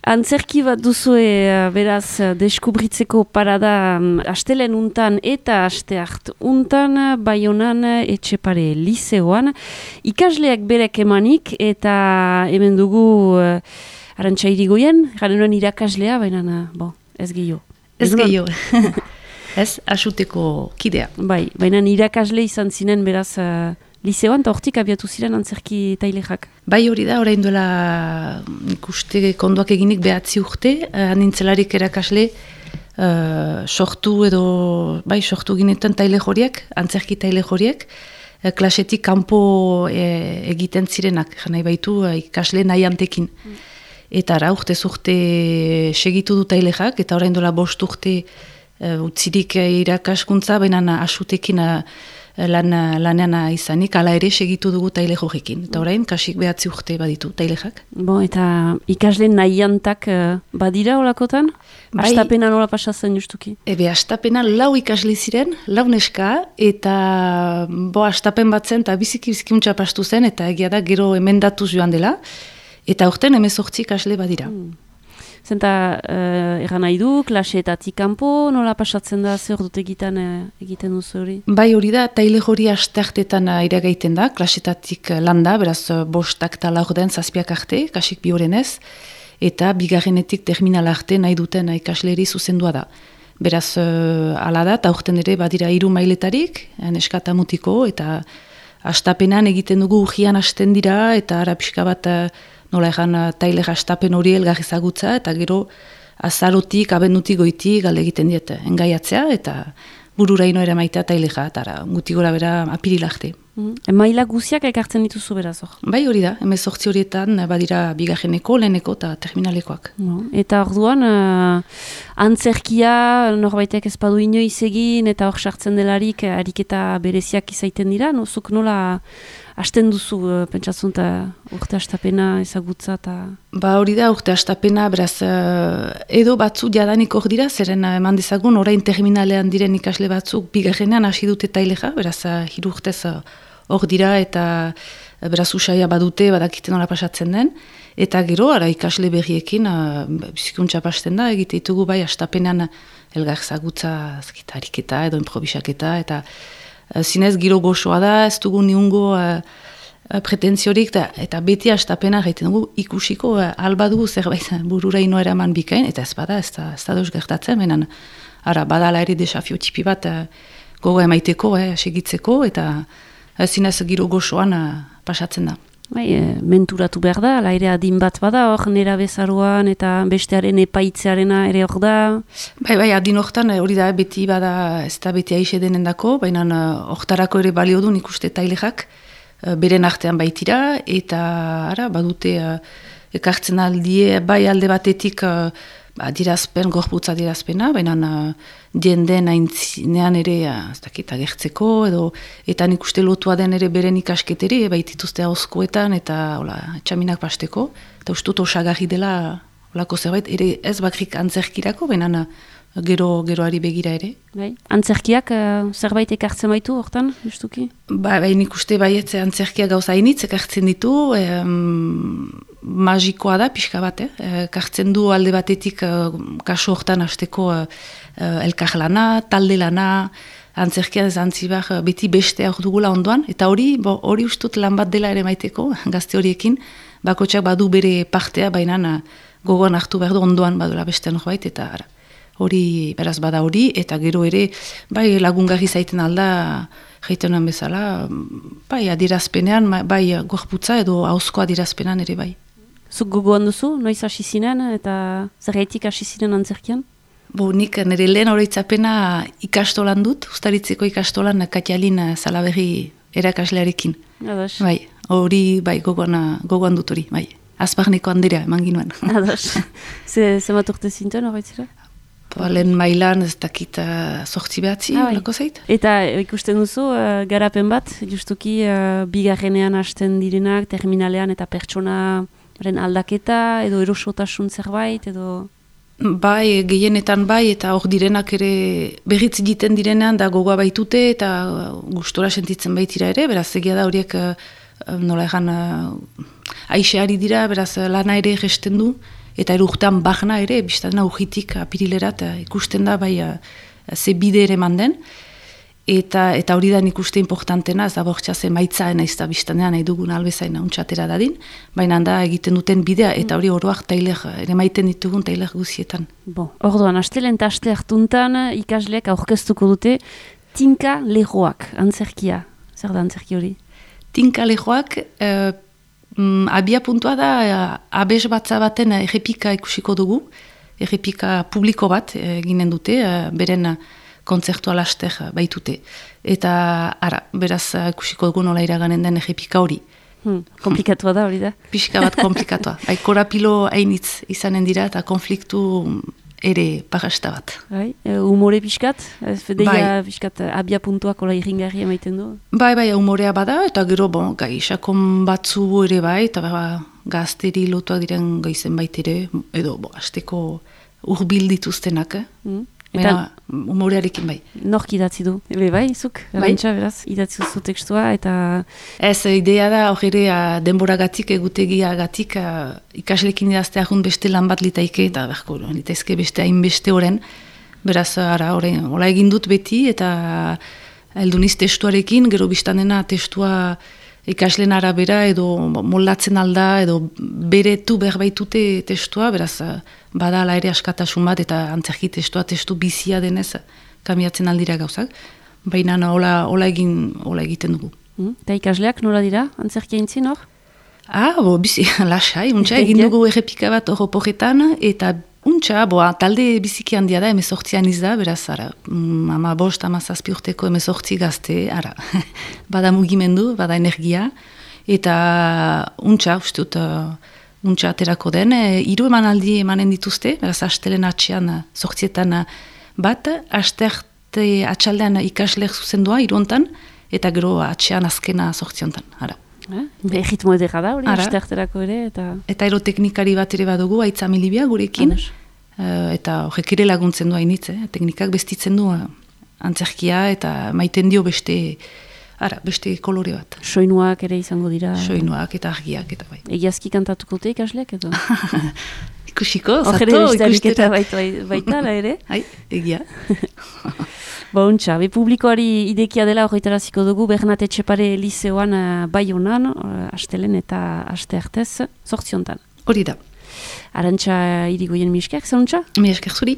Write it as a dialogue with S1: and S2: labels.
S1: Antzerki bat duzue, beraz, deskubritzeko parada astelen untan eta asteart untan, Baionan Etxepare lizeoan. Ikasleak berek emanik eta hemen dugu Arantxa Irigoyen, garen nuen irakaslea, baina ez gehiago.
S2: Ez gehiago. Ez, asuteko kidea.
S1: Bai, baina irakasle izan zinen beraz lizeoan, eta hortik abiatu ziren antzerki tailexak.
S2: Bai, hori da, orain duela ikuste konduak eginik behatzi urte, nintzelarik erakasle sortu ginetan tailej horiek, antzerki tailej horiek, klasetik kanpo egiten zirenak, nahi baitu ikasle nahi antekin. Eta ara, urtez urte segitu du tailexak, eta orain duela 5 urte utzirik irakaskuntza, baina asutekin lanean izanik, ala ere segitu dugu tailej horrekin. Eta orain, kasik behatzi urte baditu tailexak.
S1: Eta ikasle nahiantak badira olakotan? Astapena nola pasatzen justuki?
S2: Astapena 4 ikasle ziren, 4 neska, eta astapen bat zen, eta biziki untxa pastu zen, eta egia da gero emendatuz joan dela, eta urten 18 ikasle badira.
S1: Zenta, egan nahi du, klaseetatik kanpo, nola pasatzen da, zer dut egiten duzu hori? Bai,
S2: hori da, tailej hori asteartetan iragaiten da, klaseetatik landa, beraz 5 eta 4 den 7 arte, kasik 2 horenez, eta 2. terminal arte nahi duten ikasleri zuzendua da. Beraz, ala da, eta urten ere badira 3 mailetarik, neska eta mutiko, eta astapenan egiten dugu urgian hasten dira, eta ara pixka bat nola egan tailej astapen hori elgarri ezagutza, eta gero azarotik, abendutik goitik galde egiten diet engaiatzea, eta bururaino ere maitea taileja, eta guti gora bera apirilarte.
S1: Maila guziak ekartzen dituzu beraz hor?
S2: Bai, hori da, 18 horietan badira 2. leheneko eta terminalekoak.
S1: Eta orduan, antzerkia norbaitek ez badu inoiz egin, eta hor sartzen delarik ariketa bereziak izaiten dira, zuk nola hasten duzu, pentsatzen urte astapena ezagutza eta...
S2: Hori da, urte astapena, beraz, edo batzu jadanik hor dira, zeren eman dezagun, orain terminalean diren ikasle batzuk 2. hasi dute taileja, beraz, 3 urtez hor dira, eta beraz usaia badute, badakiten nola pasatzen den, eta gero, ara ikasle berriekin, bizikuntza pasten da, egite ditugu bai astapenean elgar ezagutza ariketa edo improvisaketa, eta zinez giro gozoa da, ez dugu niungo pretentziorik, eta beti astapena gaiten dugu ikusiko alba dugu zerbait bururaino eraman bikain, eta ez bada, ez da deus gertatzen, benen, ara, badala ere desafio tipi bat gogo emaiteko, segitzeko, eta zinez giro gozoan pasatzen da.
S1: Menturatu behar da, laire adin bat bada, hor nera bezaruan eta bestearen epaitzearena ere hor da?
S2: Bai, adin hortan hori da, beti bada, ez da beti aixe denendako, baina hortarako ere balio du nik uste tailexak, beren artean baitira, eta ara, badute ekartzen aldie, bai alde batetik adirazpen, gorputza adirazpena, baina jendeen aintzinean ere ez dakit agertzeko, eta nik uste lotua den ere beren ikasketere, baitituzte hauzkoetan, eta txaminak pasteko, eta ustut osagarri dela olako zerbait, ere ez bakrik antzerkirako, baina geroari begira ere.
S1: Antzerkiak zerbait ekartzen baitu hortan, justuki?
S2: Nik uste baietze antzerkiak gauza hainitz ekartzen ditu, magikoa da, pixka bat, kartzen du alde batetik kaso hortan hasteko elkarlana, talde lana, antzerkia ez antzibar beti beste hor dugula ondoan, eta hori ustut lan bat dela ere maiteko, gazte horiekin, bakotxak badu bere partea, baina gogoan hartu behar du ondoan badula beste norbait, eta hori, beraz bada hori, eta gero ere, bai lagungarri zaiten alda, jaitenan bezala, bai adirazpenean, bai gorputza edo hauzko adirazpenean ere bai.
S1: Zuk gogoan duzu, noiz hasi zinen eta zergaitik hasi zinen antzerkian?
S2: Nik nire lehen oroitzapena ikastolan dut, Ustaritzeko ikastolan Katialin Salaberri erakaslearekin.
S1: Ados.
S2: Bai, hori bai gogoan dut hori, bai. Azparneko handerea eman ginuen.
S1: Ados. Zemat urte zinten horretzera?
S2: Lehen mailan ez dakit 8 behatzi, lako zait.
S1: Eta ikusten duzu, garapen bat, justuki 2. hasten direnak, terminalean eta pertsonaren aldaketa, edo erosotasun zerbait, edo...
S2: Bai, gehienetan bai, eta hor direnak ere berritz egiten direnean da gogoa baitute, eta gustora sentitzen baitira ere, beraz egia da horiek nola egan aixeari dira, beraz lana ere gesten du, eta urtean bahna ere, biztadena urritik apirilerat ikusten da, bai, ze bide ere manden, eta hori da nik uste importantena, ez da bortxa ze maitzaen ez da biztanean nahi dugun albezaina untxatera dadin, baina da egiten duten bidea, eta hori oroak tailer, ere maiten ditugun tailer guzietan.
S1: Orduan, astelen eta aste hartuntan ikasleak aurkeztuko dute Tinka Lehoak, antzerkia. Zer da antzerki hori?
S2: Tinka Lehoak, abia puntua da, abes batza baten errepika ikusiko dugu, errepika publiko bat ginen dute, beren kontzertua laster baitute. Eta, beraz, ikusiko dugu nola iraganen den errepika hori.
S1: Komplikatua da hori da?
S2: Pixka bat komplikatua. Korapilo hainitz izanen dira eta konfliktu ere parasta bat.
S1: Humore pixkat? Fedeia pixkat abia puntuak ola irringarri emaiten du?
S2: Bai, humorea bada, eta gero, gai sakon batzu ere bai, eta gazteri lotuak diren gaizen baitere, edo, azteko urbil dituztenak, Eta humorearekin bai.
S1: Nork idatzi du? Bai, zuk? Arantxa, beraz, idatzi zu tekstua, eta...
S2: Ez, idea da, hor ere, denboragatik, egutegiagatik, ikaslekin idazte ahun beste lan bat litaike, eta berko, litaizke beste hainbeste oren. Beraz, hola egin dut beti, eta elduniz testuarekin, gero biztanena testua ikasleen arabera, edo moldatzen alda, edo beretu berbaitute testua, beraz, bada ala ere askatasun bat, eta antzerki testua, testu bizia denez, kamiatzen aldira gauzak. Baina hola egiten dugu.
S1: Eta ikasleak nola dira, antzerkia intzin hor?
S2: Bizi, lasai, egin dugu errepika bat hor oporetan, eta talde biziki handia da, 18 izda, beraz, 15-17 urteko 18 gazte, bada mugimendu, bada energia, eta uste dut, aterako den, 3 emanaldi emanen dituzte, beraz, astelen atxean, 18etan bat, asterte atxaldean ikasleak zuzendua, 3 hontan, eta gero atxean azkena 18 hontan,
S1: Ritmo edera da, hori, astearterako ere, eta...
S2: Eta aeroteknikari bat ere badugu, Aitza Milibia gurekin, eta horrek ere laguntzen du hainitz, teknikak bestitzen du antzerkia, eta maiten dio beste kolore bat.
S1: Soinuak ere izango dira.
S2: Soinuak eta argiak, eta bai.
S1: Egiazki kantatuko te ikasleak, edo?
S2: Ikusiko, zato, ikustera.
S1: Baita, ere?
S2: Egia.
S1: Bontxa, publikoari idekia dela horretaraziko dugu Bernat Etxepare Lizeoan Baionan, astelen eta aste artez, 8 hontan.
S2: Hori da.
S1: Arantxa Irigoyen mi esker, zeluntza?
S2: Mi esker zuri.